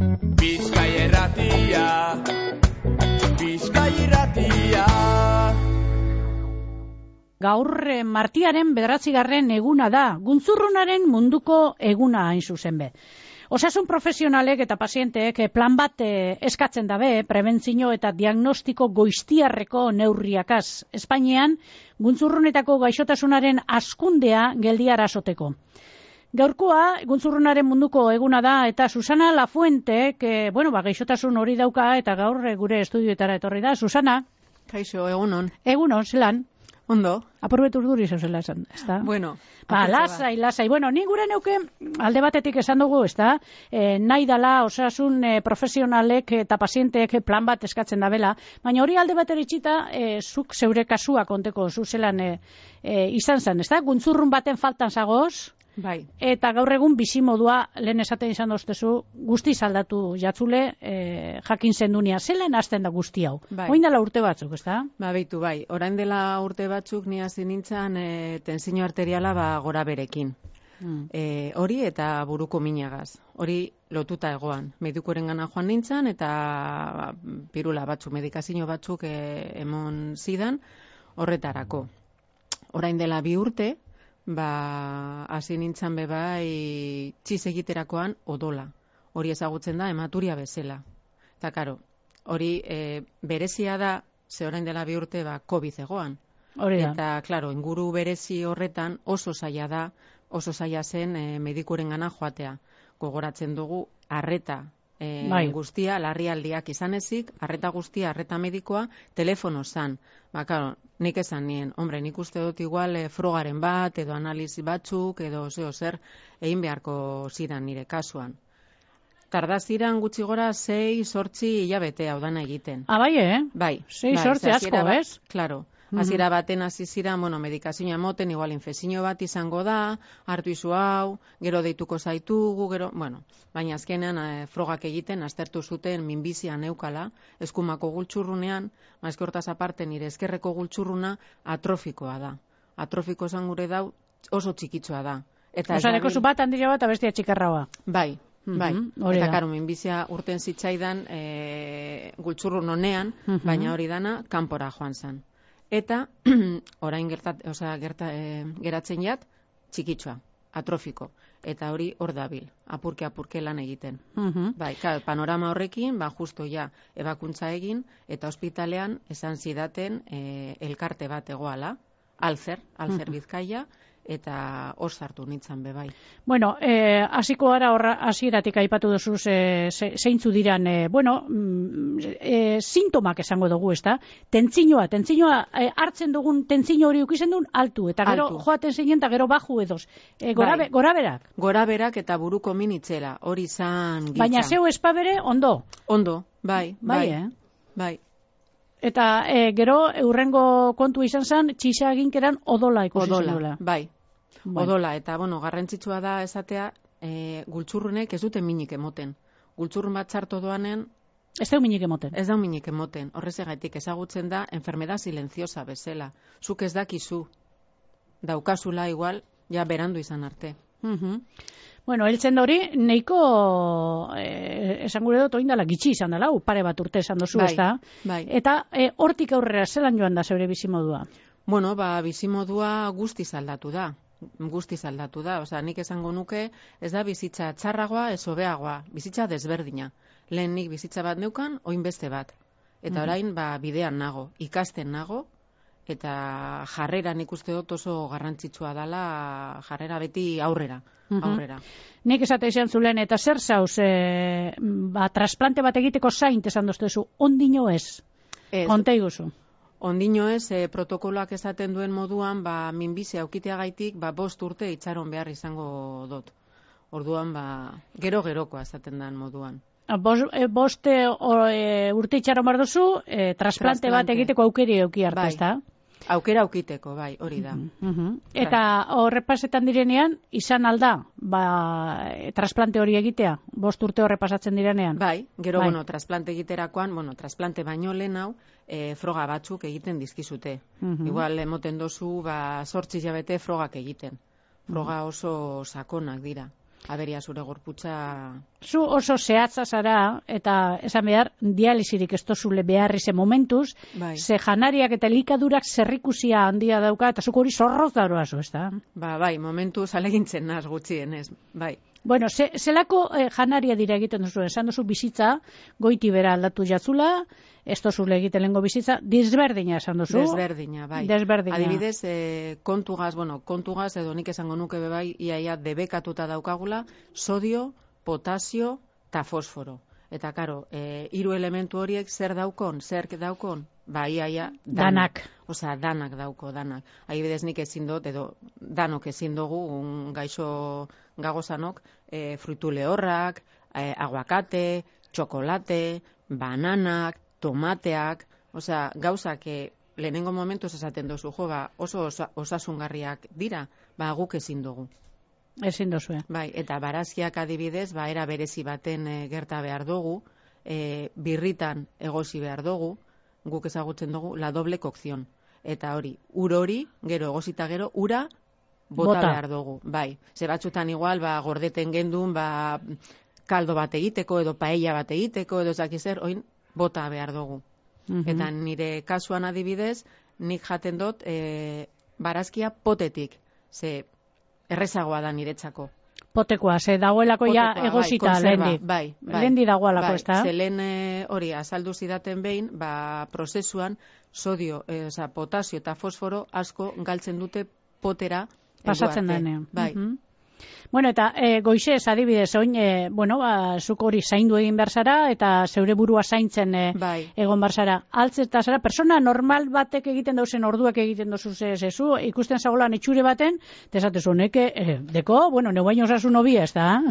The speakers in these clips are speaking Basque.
Bizkai Irratia, Bizkai Irratia. Gaur martiaren 9. eguna da, guntzurrunaren munduko eguna hain zuzen be. Osasun profesionalek eta pazienteek plan bat eskatzen dabe, prebentzio eta diagnostiko goiztiarreko neurriakaz. Espainian, guntzurrunetako gaixotasunaren hazkundea geldiarazoteko. Gaurkoa, guntzurrunaren munduko eguna da, eta Susana Lafuentek, gaixotasun hori dauka, eta gaur gure estudioetara etorri da. Susana? Kaixo, egunon. Egunon, zelan? Ondo. Aprobetu urduri zela esan, ezta? Bueno. Lasai. Bueno, ni gure neuke alde batetik esan dugu, ezta? Nahi dala osasun profesionalek eta pazienteek plan bat eskatzen dabela, baina hori alde batera itxita, zuk zeure kasua konteko zuzelan izan zen, ezta? Guntzurrun baten faltan zagoz, bai. Eta gaur egun bizimodua lehen esaten izan doztezu, guztiz aldatu jatzule, jakin zendunia. Zelan hasten da guzti hau? Bai. Oin dela urte batzuk, ezta? Beitu, bai. Orain dela urte batzuk ni hasi nintzen tentsio arteriala gora berekin. Hori eta buruko minagaz. Hori lotuta egoan. Medikuarengana joan nintzen eta pirula batzuk, medikazio batzuk emon zidan horretarako. Orain dela 2 urte, hasi nintzen bebai txiz egiterakoan odola. Hori ezagutzen da hematuria bezala. Eta karo, hori berezia da, ze orain dela 2 urte COVID egoan. Hori da. Eta, klaro, inguru berezi horretan oso zaila zen medikurengana joatea. Gogoratzen dugu, arreta guztia, larrialdiak izan ezik, arreta guztia, arreta medikoa, telefono zan. Claro, nik esan nien, nik uste dut igual frogaren bat, edo analizi batzuk, edo zer, egin beharko zidan nire kasuan. Tardaziran gutxi gora 6-8 hilabete hau dana egiten. Bai, Bai. 6-8 asko, ez? Klaro. Hasiera baten hasi ziren, medikazioa emoten, igual infekzio bat izango da, hartu izu hau, gero deituko zaitugu, baina azkenean frogak egiten, aztertu zuten minbizia neukala, eskumako gultxurrunean, mazke hortaz aparte nire eskerreko gultxurruna atrofikoa da. Atrofiko esan gure dau oso txikitsua da. Osaneko zu bat handila bat abestia txikarraua. Bai. Eta karo, minbizia urten zitzaidan gultxurrun honean, baina hori dana kanpora joan zen. Eta orain geratzen jat txikitsua, atrofiko. Eta hori hor dabil, apurke lan egiten. Bai, panorama horrekin, justo ebakuntza egin, eta ospitalean esan zidaten elkarte bat egoala, Alzer Bizkaia, eta hor sartu nintzen bebai. Bueno, hasiko gara hasieratik aipatu duzu zeintzu diran, sintomak esango dugu, ezta? Tentzinoa hartzen dugun tentzino hori ukizen duen altu, eta gero joaten zeinen, eta gero baju edoz. Goraberak? Goraberak eta buruko minitzela, hori zan gitza. Baina zeu espabere, ondo? Ondo, bai. Eta gero eurrengo kontu izan zen, txisa eginkeran odola ikusi zen duela. Bai. Odola, eta garrantzitsua da esatea, gultxurrunek ez dute minik emoten. Gultxurrun bat txarto doanen... Ez da minik emoten? Ez da minik emoten. Horrezagatik ezagutzen da, enfermedad silenciosa bezala. Zuk ez dakizu, daukazula igual, berandu izan arte. Heltzen da hori, nahiko, esan gure dut, oindala gitxi izan dela, pare bat urte esan dozu, ez da? Bai. Eta hortik aurrera, zelan joan da zeure bizimodua? Bizimodua guztiz aldatu da. Nik esango nuke, ez da bizitza txarragoa, ez hobeagoa, bizitza desberdina. Lehen nik bizitza bat neukan, oin beste bat. Eta orain, bidean nago, ikasten nago, eta jarrera nik uste dut oso garrantzitsua dela, jarrera beti aurrera. Nik esate izan zulen, eta zer zauz, trasplante bat egiteko zaint esan doztezu, ondino ez? Konta iguzu. Ondino ez, protokoloak esaten duen moduan, minbizia aukiteagaitik, 5 urte itxaron behar izango dut. Orduan, gero-gerokoa esaten den moduan. 5 urte itxaron behar duzu, trasplante bat egiteko aukeri euki arte, ez da? Aukera aukiteko, bai, hori da. Eta horrepasetan direnean, izan alda, trasplante hori egitea, 5 urte horrepasatzen direnean? Bai, gero, trasplante egiterakoan, trasplante baino lehen hau, froga batzuk egiten dizkizute. Igual, emoten dozu, 8 hilabete frogak egiten. Froga oso sakonak dira. aberia zure gorputza. Zu oso zehatza zara, eta esan behar, dialisirik ez tozule beharri ze momentuz, Bai. ze janariak eta elikadurak zerrikusia handia dauka, eta zuk hori zorroz daroazu, ez da? Bai, momentu zalegintzen naz gutxienez, bai. Bueno, zelako janaria dira egiten duzu, esan duzu bizitza, goiti bera aldatu jatzula, ez dozule egiten lengo bizitza, desberdina esan duzu. Desberdina, bai. Desberdina. Adibidez, kontugaz edo nik esango nuke bai, iaia debekatuta daukagula, sodio, potasio eta fosforo. Eta, karo, 3 elementu horiek zer daukon? Ba, iaia, Danak. Osea, danak dauko, danak. Adibidez nik ezin dut, edo danok ezin dugu, gaixo gagozanok, fruitu lehorrak, aguakate, txokolate, bananak, tomateak, osea, gauzak lehenengo momentuz esaten dozu, oso osasungarriak dira, guk ezin dugu. Ezin dozue. Bai, eta barazkiak adibidez, era berezi baten gerta behar dugu, birritan egosi behar dugu, guk ezagutzen dugu, la doble cocción. Eta hori, ur hori, gero egosita gero, ura bota behar dugu. Bai, ze batzutan igual, gordeten gendun, kaldo bat egiteko, edo paella bat egiteko, edo zakizer, oin, bota behar dugu. Eta nire kasuan adibidez, nik jaten dut, barazkia potetik, ze errezagoa da niretzako. Potekoa, ze dagoelako ja egosita lehendi. Bai. Lehendi dagoelako, ez da? Ze lehen hori azaldu zidaten behin, prozesuan sodio, potasio eta fosforo asko galtzen dute potera. Pasatzen denean. Bai. Bueno, eta goizez adibidez, oin, zuk hori zaindu egin behar zara, eta zeure burua zaintzen egon behar zara. Altzeta zara, persona normal batek egiten dauzen orduak egiten dozu zezu, ikusten zagolan itxure baten, tesatezu, deko, bueno, neu baino osasun hobi ez da.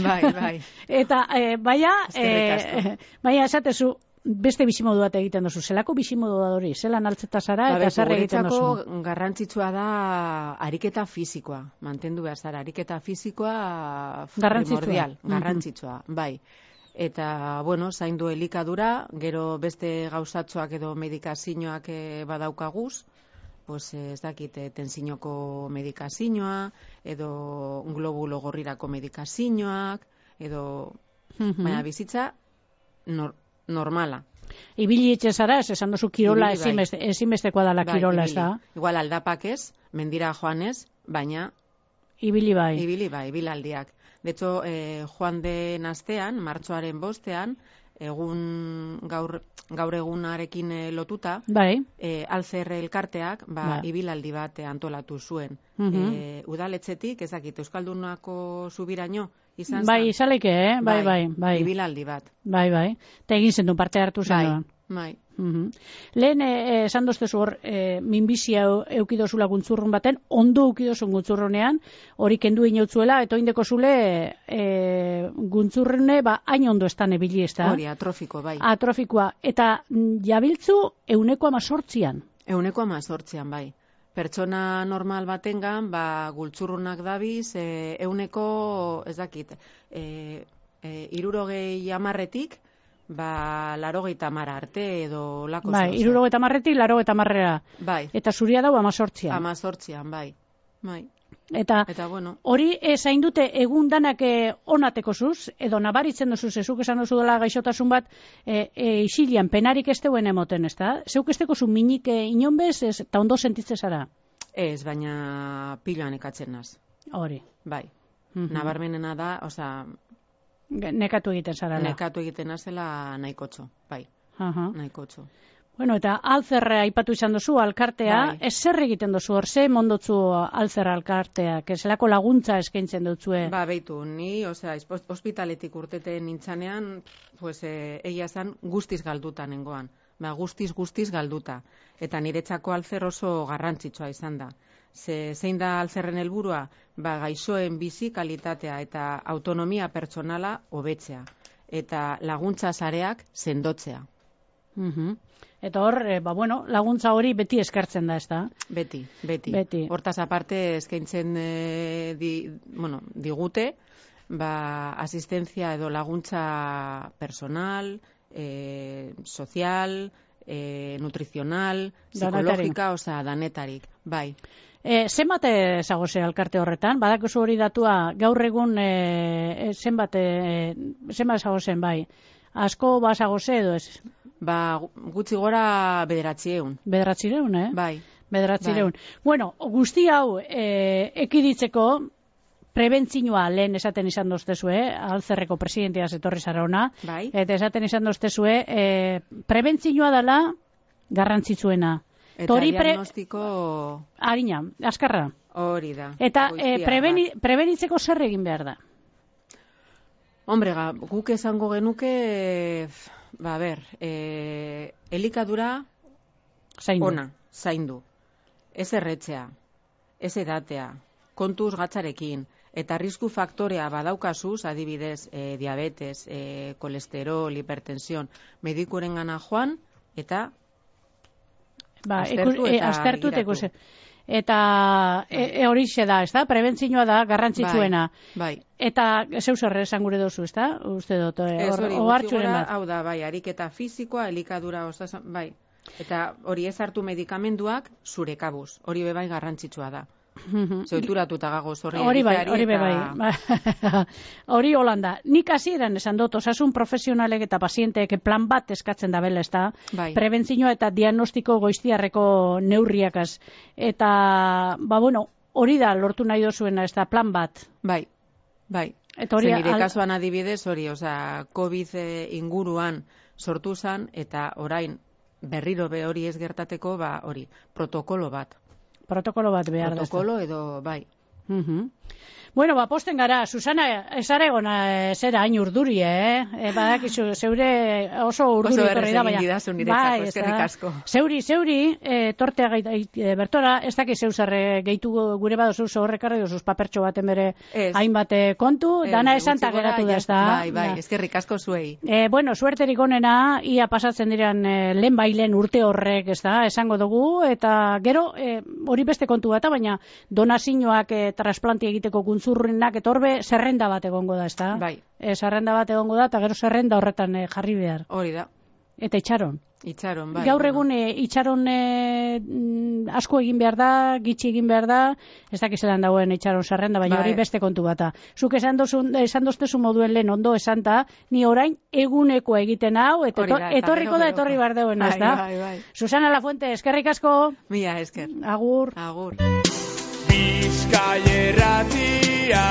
Bai. Eta, baina esatezu, beste bizimodu bat egiten dozu. Zelako bizimodu da hori? Zelan altzeta zara eta zer egiten dozu? Guretzako garrantzitsua da ariketa fisikoa. Mantendu behar zara. Ariketa fisikoa primordial. Garrantzitsua, bai. Eta, zaindu elikadura, gero beste gauzatxoak edo medikazioak badaukaguz, ez dakit, tensinoko medikazioa, edo globulo gorrirako medikazioak, edo, baina bizitza normala. Ibili etxe zara, esan duzu kirola ezinbestekoa dela kirola, ez da? Igual aldapak ez, mendira joanez, baina ibili bai. Ibilaldiak. De hecho, joan den astean, martxoaren 5ean, gaur egunarekin lotuta, Alzer elkarteak ibilaldi bat antolatu zuen. Udaletxetik, ezakit, Euskaldunako zubiraino, izan zen? Bai, izaleke, bai. Ibilaldi bat. Bai. Eta egin zen du parte hartu zen. Bai. Lehen, esan doztezu hor, minbizia eukidozula guntzurrun baten, ondo eukidozun guntzurrunean, hori kendu inautzuela, eta oindeko zule guntzurrune, hain ondo estan ebili, ez da? Hori, atrofiko, bai. Atrofikoa. Eta jabiltzu 1,8an. 1,8an, bai. Pertsona normal batengan, gultzurrunak dabiz, 100, ez dakit, 60 80 arte edo lako zauza. 60 80 Bai. Eta zuria dau 18an. 18an, bai. Eta hori zain dute egun danak onateko zuz, edo nabaritzen duzuz, ezuk esan duzu dela gaixotasun bat, isilian penarik ez deuen emoten, ez da? Zeuk ez teko zu minik inonbez, eta ondo sentitze zara? Ez, baina piloan ekatzen naz. Hori. Bai. Nabarmenena da, nekatu egiten zara. Nekatu egiten nazela nahikotxo, bai. Nahikotxo. Bueno, eta alzerra aipatu izan duzu, alkartea, ez zer egiten duzu, hor ze mondotzu alzerra alkartea, zelako laguntza eskaintzen dutzue? Beitu, ni, hospitaletik urteten nintzanean, egia zan guztiz galduta nengoan. Guztiz galduta. Eta niretzako alzer oso garrantzitsua izan da. Zein da alzerren helburua? Gaixoen bizi kalitatea eta autonomia pertsonala hobetzea. Eta laguntza sareak sendotzea. Eta hor, laguntza hori beti eskartzen da, ez da? Beti. Hortaz aparte eskaintzen digute, asistentzia edo laguntza personal, sozial, nutrizional, psikologika, danetarik, bai. Zenbat zagoze alkarte horretan? Badakizu hori datua gaur egun zenbat zagozen bai? Asko bazagoze edo ez? Ba, gutxi gora 900. 900, Bai. 900. Bueno, guzti hau ekiditzeko prebentzioa lehen esaten izan doztezue, Alzerreko presidentia etorri zara ona, Bai. eta esaten izan doztezue, prebentzioa dela garrantzitsuena. Eta diagnostiko... Harina, azkarra. Hori da. Eta prebenitzeko zer egin behar da? Hombre, guk esango genuke, elikadura ona, zaindu. Ez erretzea, ez edatea, kontuz gatzarekin, eta arrisku faktorea badaukazuz, adibidez, diabetes, kolesterol, hipertension, medikuren gana joan, eta aztertu eta ikusi. Eta horixe da, ez da? Prebentzioa da, garrantzitsuena. Bai. Eta zeu zer esan gure dozu, ez da? Uste dut, ohartxuren bat. Hau da, bai, ariketa fizikoa, elikadura, bai. Eta hori ez hartu medikamenduak zure kabuz. Hori bebai garrantzitsua da. Zeuturatuta gagoz hori bai. Hori holanda. Nik hasieran esan dut, osasun profesionalek eta pazienteek plan bat eskatzen da bela, ez da? Bai. Prebentzioa eta diagnostiko goiztiarreko neurriakaz. Eta, hori da lortu nahi dozuena, ez da, plan bat. Bai. Nire kasuan adibidez, hori, COVID inguruan sortu zan, eta orain berriro hori ez gertateko, hori, protokolo bat. Protokolo bat behar da. Protokolo edo, bai. Bueno, posten gara, Susana, esare gona zera hain urduri, badakizu, zeure oso urduri torri da, baina. Oso berrez eskerrik asko. Zeuri, tortea bertora, ez daki zeu zerre gehitu gure badozu horrekarri dozuz papertxo baten bere hainbat kontu, dana esanta geratu da, ez da. Bai, eskerrik asko zuei. Bueno, suerterik onena, ia pasatzen diren lehen bailen urte horrek, ez da, esango dugu, eta gero, hori beste kontu bat, baina donazioak trasplanti egiteko guntzurrenak etorbe zerrenda bat egongo da, ezta? Bai. Zerrenda bat egongo da, eta gero zerrenda horretan jarri behar. Hori da. Eta itxaron. Itxaron, bai. Gaur egun itxaron asko egin behar da, gitxi egin behar da, ez dakizelan dagoen itxaron zerrenda, baina hori beste kontu bata. Zuk esan doztezu moduen lehen ondo esanta, ni orain egunekoa egiten hau, eta etorriko da, etorri behar dagoen, ez da? Bai. Susana Lafuente, eskerrik asko. Mila, esker. Agur. Agur. Bizkaia Irratia